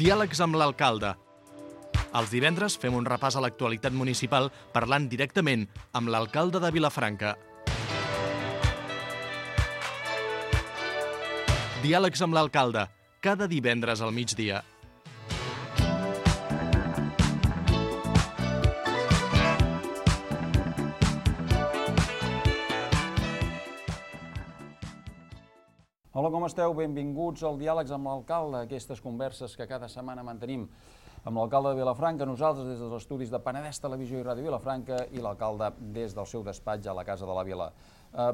Diàlegs amb l'alcalde. Els divendres fem un repàs a l'actualitat municipal parlant directament amb l'alcalde de Vilafranca. Diàlegs amb l'alcalde, cada divendres al migdia. Hola, com esteu? Benvinguts al Diàlegs amb l'alcalde, aquestes converses que cada setmana mantenim amb l'alcalde de Vilafranca, nosaltres des dels estudis de Penedès Televisió i Ràdio Vilafranca i l'alcalde des del seu despatx a la Casa de la Vila.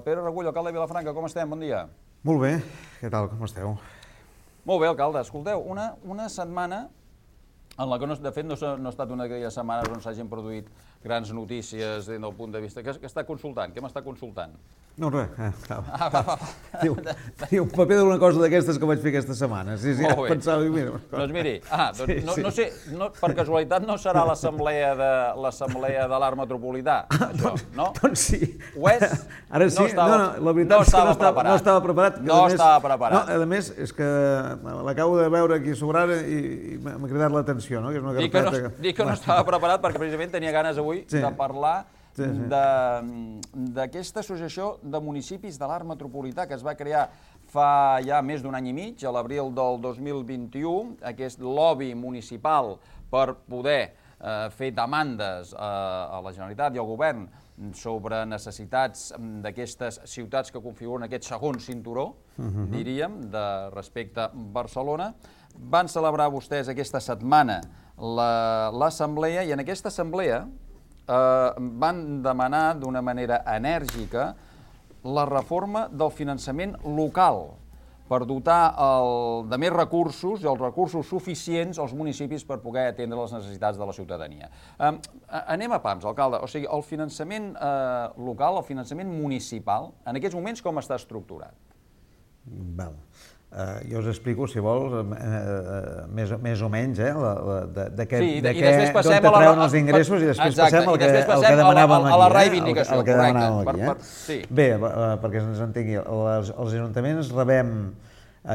Pere Regull, alcalde de Vilafranca, com estem? Bon dia. Molt bé, què tal, com esteu? Molt bé, alcalde. Escolteu, una setmana en la que, de fet, no ha estat una d'aquelles setmanes on s'hagin produït grans notícies des del punt de vista... Què està consultant? Què m'està consultant? No, res. Tenia un paper d'una cosa d'aquestes que vaig fer aquesta setmana. Sí, molt bé. Pensava, mira... Doncs miri, no sé, per casualitat no serà l'assemblea de l'Arc Metropolità, això, no? Doncs sí. Ho és? Ara sí, la veritat és que no estava preparat. No estava preparat. A més, és que l'acabo de veure aquí sobre ara i m'ha cridat l'atenció, no? Dic que no estava preparat perquè precisament tenia ganes avui de parlar d'aquesta associació de municipis de l'Arc Metropolità que es va crear fa ja més d'un any i mig, a l'abril del 2021, aquest lobby municipal per poder fer demandes a la Generalitat i al govern sobre necessitats d'aquestes ciutats que configuren aquest segon cinturó, diríem, de respecte a Barcelona. Van celebrar vostès aquesta setmana l'assemblea i en aquesta assemblea van demanar d'una manera enèrgica la reforma del finançament local per dotar de més recursos i els recursos suficients als municipis per poder atendre les necessitats de la ciutadania. Anem a pams, alcalde. O sigui, el finançament local, el finançament municipal, en aquests moments com està estructurat? Val. Jo us explico, si vols, més o menys, d'on treuen els ingressos i després passem al que demanàvem aquí. A la reivindicació, correcte. Bé, perquè ens entengui, els ajuntaments rebem,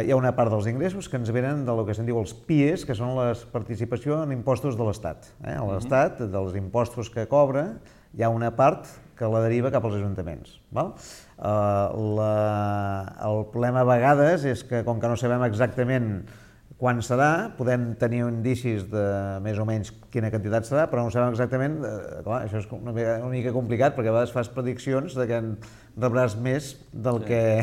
hi ha una part dels ingressos que ens venen del que se'n diu els PIEs, que són la participació en impostos de l'Estat. L'Estat, dels impostos que cobra, hi ha una part que la deriva cap als ajuntaments. El problema a vegades és que, com que no sabem exactament quan serà, podem tenir indicis de més o menys quina quantitat serà, però no sabem exactament, clar, això és una mica complicat, perquè a vegades fas prediccions de que rebràs més del que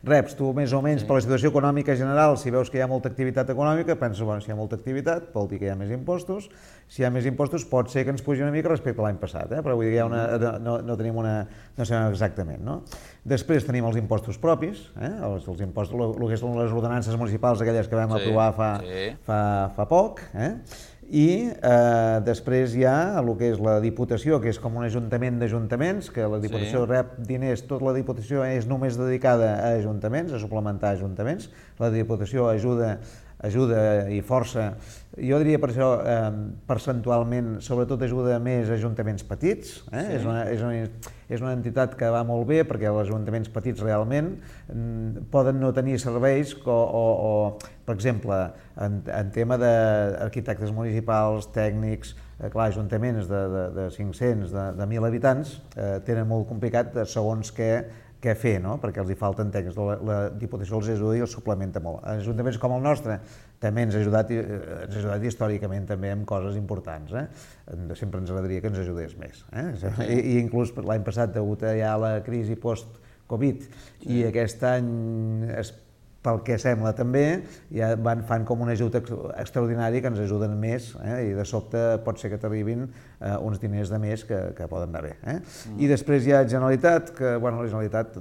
reps. Tu, més o menys, per la situació econòmica general, si veus que hi ha molta activitat econòmica, penses, bueno, si hi ha molta activitat, vol dir que hi ha més impostos. Si hi ha més impostos, pot ser que ens pugi una mica respecte a l'any passat, però vull dir que no sabem exactament, no? Després tenim els impostos propis, els impostos, el que són les ordenances municipals, aquelles que vam aprovar fa poc, i després hi ha el que és la Diputació, que és com un ajuntament d'ajuntaments, que la Diputació rep diners, tota la Diputació és només dedicada a ajuntaments, a suplementar ajuntaments, la Diputació ajuda i força, jo diria per això percentualment, sobretot ajuda més ajuntaments petits, és una entitat que va molt bé perquè els ajuntaments petits realment poden no tenir serveis o per exemple, en tema d'arquitectes municipals, tècnics, clar, ajuntaments de 500, de 1.000 habitants tenen molt complicat segons què fer, perquè els hi falten tècnics. La Diputació els ajuda i els suplementa molt. Ajuntaments com el nostre també ens ha ajudat històricament també amb coses importants. Sempre ens agradaria que ens ajudés més. I inclús l'any passat, degut a la crisi post-Covid, i aquest any, pel que sembla també, ja fan com un ajut extraordinari que ens ajuden més i de sobte pot ser que t'arribin uns diners de més que poden anar bé. I després hi ha Generalitat, que la Generalitat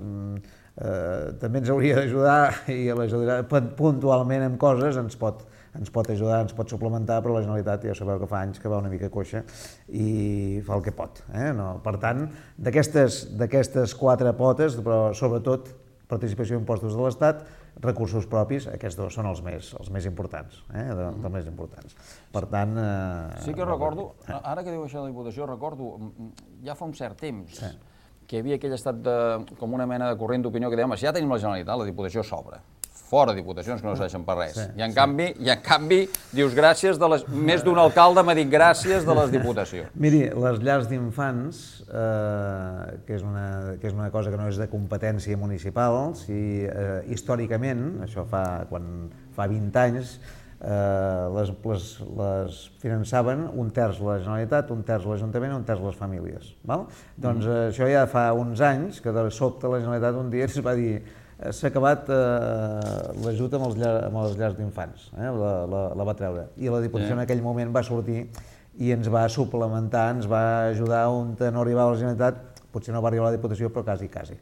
també ens hauria d'ajudar i puntualment amb coses ens pot ajudar, ens pot suplementar, però la Generalitat ja sabeu que fa anys que va una mica coixa i fa el que pot. Per tant, d'aquestes 4 potes, però sobretot participació en impostos de l'Estat, recursos propis, aquests dos són els més importants, dels més importants. Per tant... Sí que recordo, ara que diu això de la Diputació, recordo ja fa un cert temps que hi havia aquell estat com una mena de corrent d'opinió que dèiem, si ja tenim la Generalitat, la Diputació s'obre. fora diputacions que no serveixen per res. I en canvi, dius gràcies de les... Més d'un alcalde m'ha dit gràcies de les diputacions. Miri, les llars d'infants, que és una cosa que no és de competència municipal, si històricament, això fa 20 anys, les finançaven un terç la Generalitat, un terç l'Ajuntament i un terç les famílies. Doncs això ja fa uns anys que de sobte la Generalitat un dia es va dir s'ha acabat l'ajut amb les llars d'infants, la va treure. I la Diputació en aquell moment va sortir i ens va suplementar, ens va ajudar on no arribava la Generalitat, potser no va arribar a la Diputació, però quasi.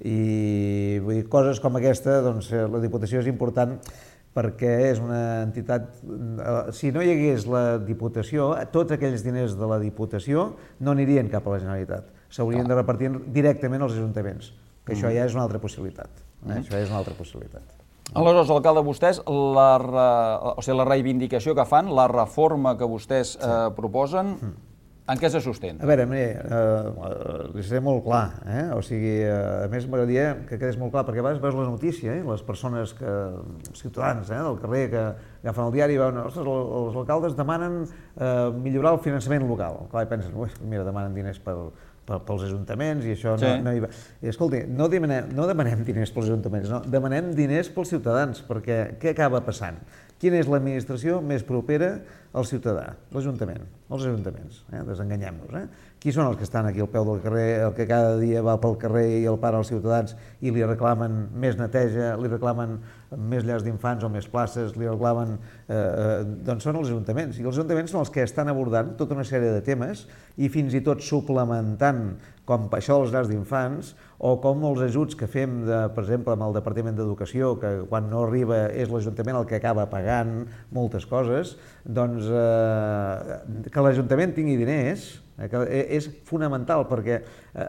I vull dir, coses com aquesta, doncs la Diputació és important perquè és una entitat... Si no hi hagués la Diputació, tots aquells diners de la Diputació no anirien cap a la Generalitat, s'haurien de repartir directament als ajuntaments, que això ja és una altra possibilitat. Això és una altra possibilitat. Aleshores, alcalde, vostès, la reivindicació que fan, la reforma que vostès proposen, en què se sustenta? A veure, li seré molt clar, o sigui, a més m'agradaria que quedés molt clar, perquè a vegades veus la notícia, les persones, ciutadans del carrer que agafen el diari i veuen, ostres, els alcaldes demanen millorar el finançament local. Clar, i pensen, mira, demanen diners pels ajuntaments i això no hi va. I escolti, no demanem diners pels ajuntaments, no, demanem diners pels ciutadans, perquè què acaba passant? Quina és l'administració més propera al ciutadà? L'Ajuntament, els ajuntaments, desenganyem-nos. Qui són els que estan aquí al peu del carrer, el que cada dia va pel carrer i el para als ciutadans i li reclamen més neteja, li reclamen més llars d'infants o més places, li reclamen... Doncs són els ajuntaments. I els ajuntaments són els que estan abordant tota una sèrie de temes i fins i tot suplementant com això dels llars d'infants o com els ajuts que fem, per exemple, amb el Departament d'Educació, que quan no arriba és l'Ajuntament el que acaba pagant moltes coses, doncs que l'Ajuntament tingui diners és fonamental perquè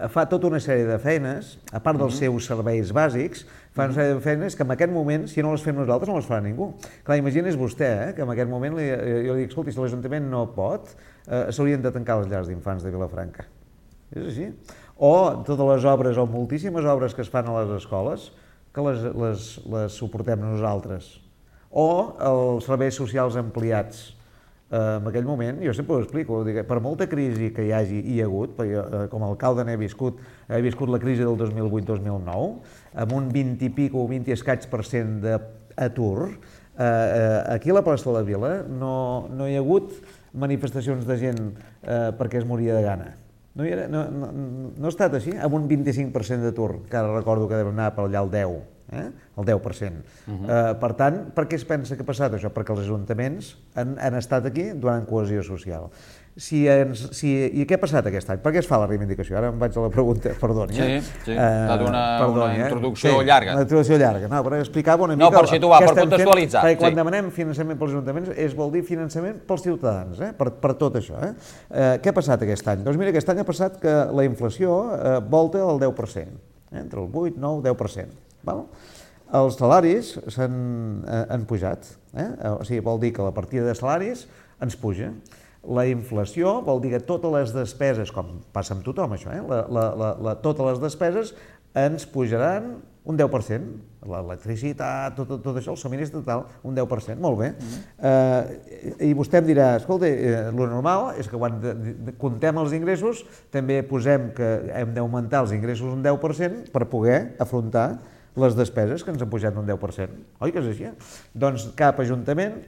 fa tota una sèrie de feines, a part dels seus serveis bàsics, fa una sèrie de feines que en aquest moment, si no les fem nosaltres, no les farà ningú. Clar, imagini's vostè que en aquest moment jo li dic, escolti, si l'Ajuntament no pot, s'haurien de tancar les llars d'infants de Vilafranca. És així. O totes les obres, o moltíssimes obres que es fan a les escoles, que les suportem nosaltres. O els serveis socials ampliats. En aquell moment, jo sempre ho explico, per molta crisi que hi hagi i hi ha hagut, perquè com a alcalde n'he viscut la crisi del 2008-2009, amb un 20 i pico, 20 i escaig% d'atur, aquí a la plaça de la Vila no hi ha hagut manifestacions de gent perquè es moria de gana. No ha estat així, amb un 25% d'atur, que ara recordo que deu anar per allà al 10%. El 10%. Per tant, per què es pensa que ha passat això? Perquè els ajuntaments han estat aquí donant cohesió social. I què ha passat aquest any? Per què es fa la reivindicació? Ara em vaig a la pregunta, perdoni. Sí, ha estat una introducció llarga. Una introducció llarga, per explicar-vos una mica... No, per situar, per contextualitzar. Perquè quan demanem finançament pels ajuntaments vol dir finançament pels ciutadans, per tot això. Què ha passat aquest any? Doncs mira, aquest any ha passat que la inflació volta al 10%, entre el 8, 9, 10%. Els salaris han pujat, o sigui, vol dir que la partida de salaris ens puja. La inflació vol dir que totes les despeses, com passa amb tothom això, totes les despeses ens pujaran un 10%. L'electricitat, tot això, el subministre total, un 10%. Molt bé. I vostè em dirà, escolta, el normal és que quan comptem els ingressos també posem que hem d'augmentar els ingressos un 10% per poder afrontar les despeses que ens han pujat un 10%. Oi que és així? Doncs cap ajuntament,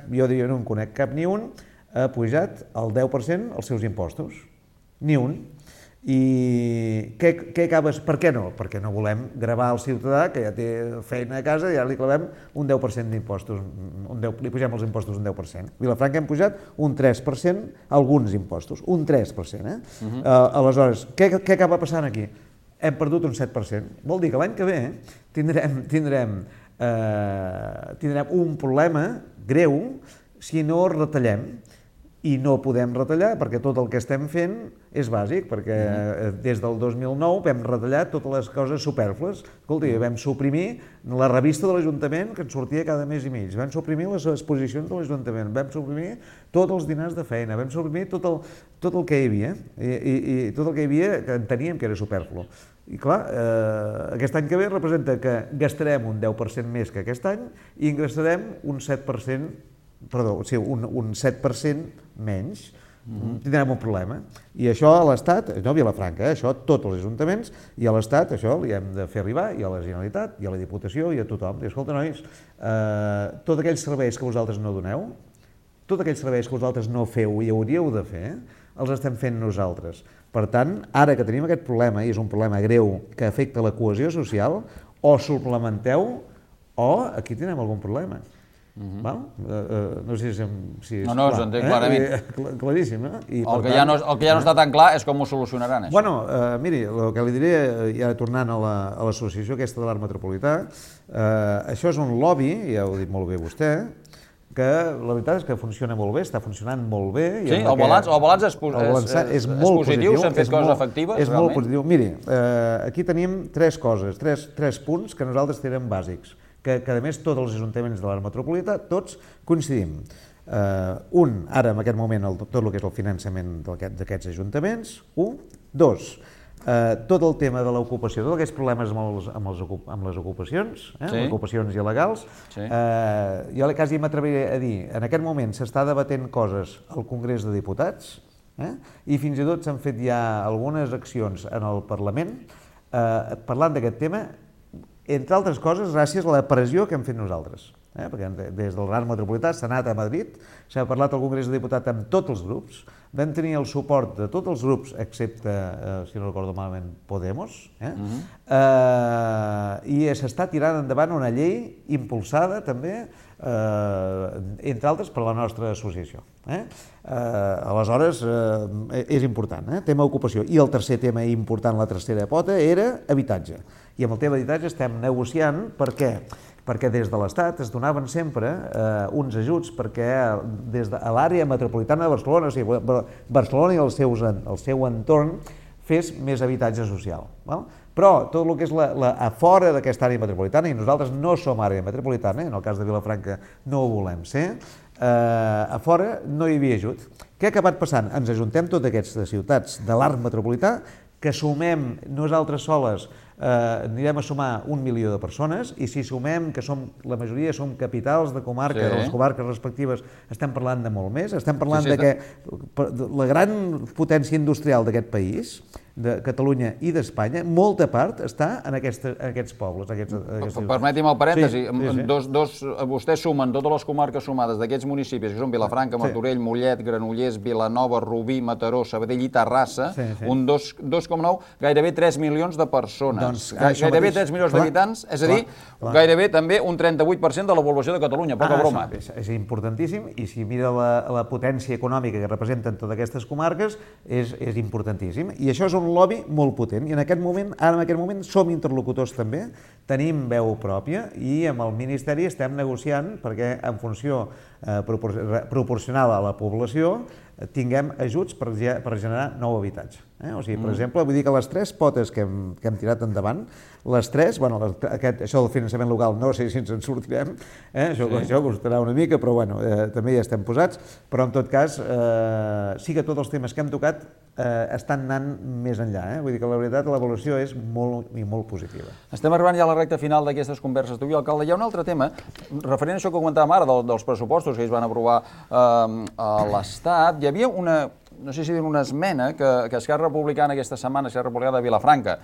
jo diria no en conec cap ni un, ha pujat el 10% els seus impostos. Ni un. I què acabes? Per què no? Perquè no volem gravar el ciutadà que ja té feina a casa i ara li clavem un 10% d'impostos, li pugem els impostos un 10%. Vilafranca hem pujat un 3% alguns impostos, un 3%. Aleshores, què acaba passant aquí? Hem perdut un 7%. Vol dir que l'any que ve tindrem un problema greu si no retallem. I no podem retallar perquè tot el que estem fent és bàsic, perquè des del 2009 vam retallar totes les coses supèrflues. Escolta, vam suprimir la revista de l'Ajuntament que ens sortia cada mes i mig, vam suprimir les exposicions de l'Ajuntament, vam suprimir tots els dinars de feina, vam suprimir tot el que hi havia, i tot el que hi havia que enteníem que era supèrflu. I clar, aquest any que ve representa que gastarem un 10% més que aquest any i ingressarem un 7%, perdó, sí, un 7% menys. Tindrem un problema. I això a l'Estat, no a Vilafranca, això a tots els ajuntaments, i a l'Estat això li hem de fer arribar, i a la Generalitat, i a la Diputació, i a tothom. I escolta, nois, tots aquells serveis que vosaltres no doneu, tots aquells serveis que vosaltres no feu i hauríeu de fer, els estem fent nosaltres. Per tant, ara que tenim aquest problema, i és un problema greu que afecta la cohesió social, o suplementeu o aquí tindrem algun problema. No sé si és clar. No, s'entén clarament. Claríssim, no? El que ja no està tan clar és com ho solucionaran, això. Bueno, miri, el que li diré, ja tornant a l'associació aquesta de l'Arc Metropolità, això és un lobby, ja ho ha dit molt bé vostè, que la veritat és que funciona molt bé, està funcionant molt bé. Sí, el balanç és positiu, s'han fet coses efectives, és molt positiu. Miri, aquí tenim tres coses, tres punts que nosaltres tenim bàsics, que a més tots els ajuntaments de l'Arc Metropolità, tots coincidim. Ara en aquest moment, tot el que és el finançament d'aquests ajuntaments, dos, tot el tema de l'ocupació, tots aquests problemes amb les ocupacions, les ocupacions il·legals, jo quasi m'atreviré a dir, en aquest moment s'està debatent coses al Congrés de Diputats, i fins i tot s'han fet ja algunes accions en el Parlament parlant d'aquest tema, entre altres coses, gràcies a la pressió que hem fet nosaltres. Perquè des del Arc Metropolità s'ha anat a Madrid, s'ha parlat al Congrés de Diputats amb tots els grups, vam tenir el suport de tots els grups, excepte, si no recordo malament, Podemos, i s'està tirant endavant una llei impulsada també, entre altres, per la nostra associació. Aleshores, és important, tema ocupació. I el tercer tema important, la tercera pota, era habitatge. I amb el tema d'habitatge estem negociant, per què? Perquè des de l'Estat es donaven sempre uns ajuts perquè des de l'àrea metropolitana de Barcelona, o sigui, Barcelona i el seu entorn, fes més habitatge social. Però tot el que és a fora d'aquesta àrea metropolitana, i nosaltres no som àrea metropolitana, en el cas de Vilafranca no ho volem ser, a fora no hi havia ajut. Què ha acabat passant? Ens ajuntem totes aquestes ciutats de l'Arc Metropolità, que sumem nosaltres soles, anirem a sumar 1 milió de persones, i si sumem que la majoria som capitals de comarca, de les comarques respectives, estem parlant de molt més, estem parlant de que la gran potència industrial d'aquest país, de Catalunya i d'Espanya, molta part està en aquests pobles. Permeti'm el parèntesi, vostès sumen totes les comarques sumades d'aquests municipis, que són Vilafranca, Martorell, Mollet, Granollers, Vilanova, Rubí, Mataró, Sabadell i Terrassa, un 2,9, gairebé 3 milions de persones, gairebé 3 milions d'habitants, és a dir, gairebé també un 38% de la població de Catalunya, poca broma. És importantíssim, i si mira la potència econòmica que representen totes aquestes comarques, és importantíssim. I això és un lobby molt potent, i ara en aquest moment som interlocutors també, tenim veu pròpia, i amb el Ministeri estem negociant perquè en funció proporcional a la població tinguem ajuts per generar nou habitatge. O sigui, per exemple, vull dir que les tres potes que hem tirat endavant, les tres, això del finançament local no sé si ens en sortirem, això costarà una mica, però també hi estem posats, però en tot cas sí que tots els temes que hem tocat estan anant més enllà. Vull dir que la veritat l'evolució és molt positiva. Estem arribant ja a la recta final d'aquestes converses d'avui, alcalde. Hi ha un altre tema, referent a això que comentàvem ara, dels pressupostos que es van aprovar a l'Estat. Hi havia no sé si dir una esmena que Esquerra Republicana aquesta setmana, Esquerra Republicana de Vilafranca,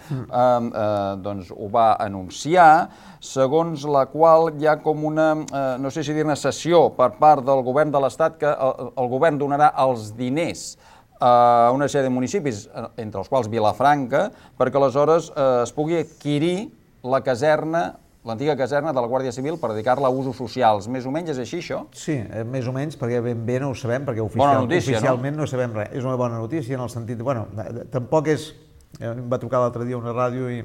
doncs ho va anunciar, segons la qual hi ha com una, no sé si dir-ne cessió per part del govern de l'Estat, que el govern donarà els diners a una sèrie de municipis, entre els quals Vilafranca, perquè aleshores es pugui adquirir l'antiga caserna de la Guàrdia Civil per dedicar-la a usos socials. Més o menys és així, això? Sí, més o menys, perquè ben bé no ho sabem, perquè oficialment no sabem res. És una bona notícia en el sentit, tampoc és... Em va trucar l'altre dia una ràdio i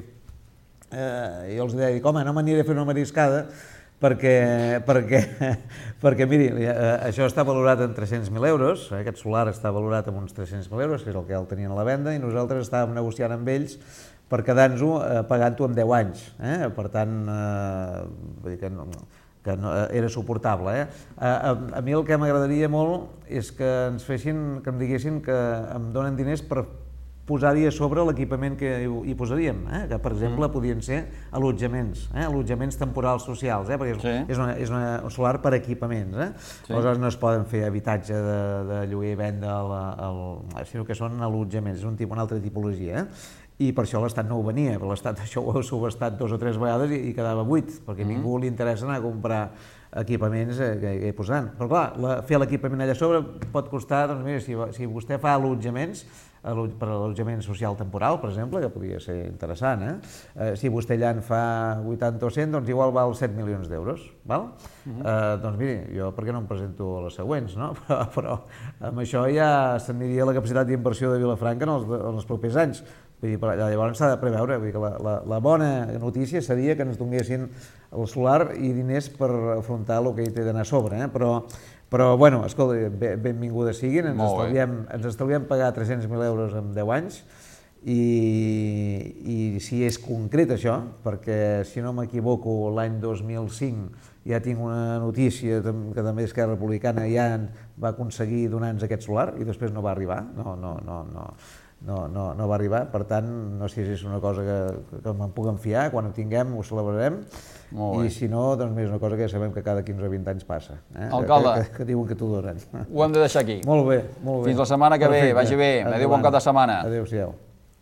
els deia, home, no m'aniré a fer una mariscada, perquè miri, això està valorat en 300.000 euros, aquest solar està valorat en uns 300.000 euros, que és el que el tenien a la venda, i nosaltres estàvem negociant amb ells per quedar-nos-ho pagant-ho en 10 anys. Per tant, vull dir que era suportable. A mi el que m'agradaria molt és que ens fessin, que em diguessin que em donen diners per posar-hi a sobre l'equipament que hi posaríem, que per exemple podien ser allotjaments temporals socials, perquè és un solar per equipaments. Aleshores no es poden fer habitatge de lloguer i venda, sinó que són allotjaments, és una altra tipologia. I per això l'Estat no ho venia, però l'Estat això ho ha subestat 2 o 3 vegades i quedava buit, perquè a ningú li interessa anar a comprar equipaments que hi posaran. Però clar, fer l'equipament allà sobre pot costar, doncs mira, si vostè fa allotjaments, per a l'allotjament social temporal, per exemple, que podria ser interessant, si vostè allà en fa 80 o 100, doncs igual val 7 milions d'euros, val? Doncs miri, jo per què no em presento a les següents, no? Però amb això ja s'aniria la capacitat d'inversió de Vilafranca en els propers anys. Vull dir, llavors s'ha de preveure, vull dir que la bona notícia seria que ens donguessin el solar i diners per afrontar el que hi té d'anar a sobre, però bueno, escolta, benvingudes siguin, ens estalviem pagar 300.000 euros en 10 anys i si és concret això, perquè si no m'equivoco l'any 2005 ja tinc una notícia que també Esquerra Republicana ja va aconseguir donar-nos aquest solar i després no va arribar, no va arribar, per tant, no sé si és una cosa que me'n puc fiar, quan ho tinguem ho celebrarem, i si no, doncs és una cosa que ja sabem que cada 15 o 20 anys passa, que diuen que t'ho donen. Ho hem de deixar aquí. Molt bé, molt bé. Fins la setmana que ve, vagi bé. Adéu, bon cap de setmana. Adéu-siau.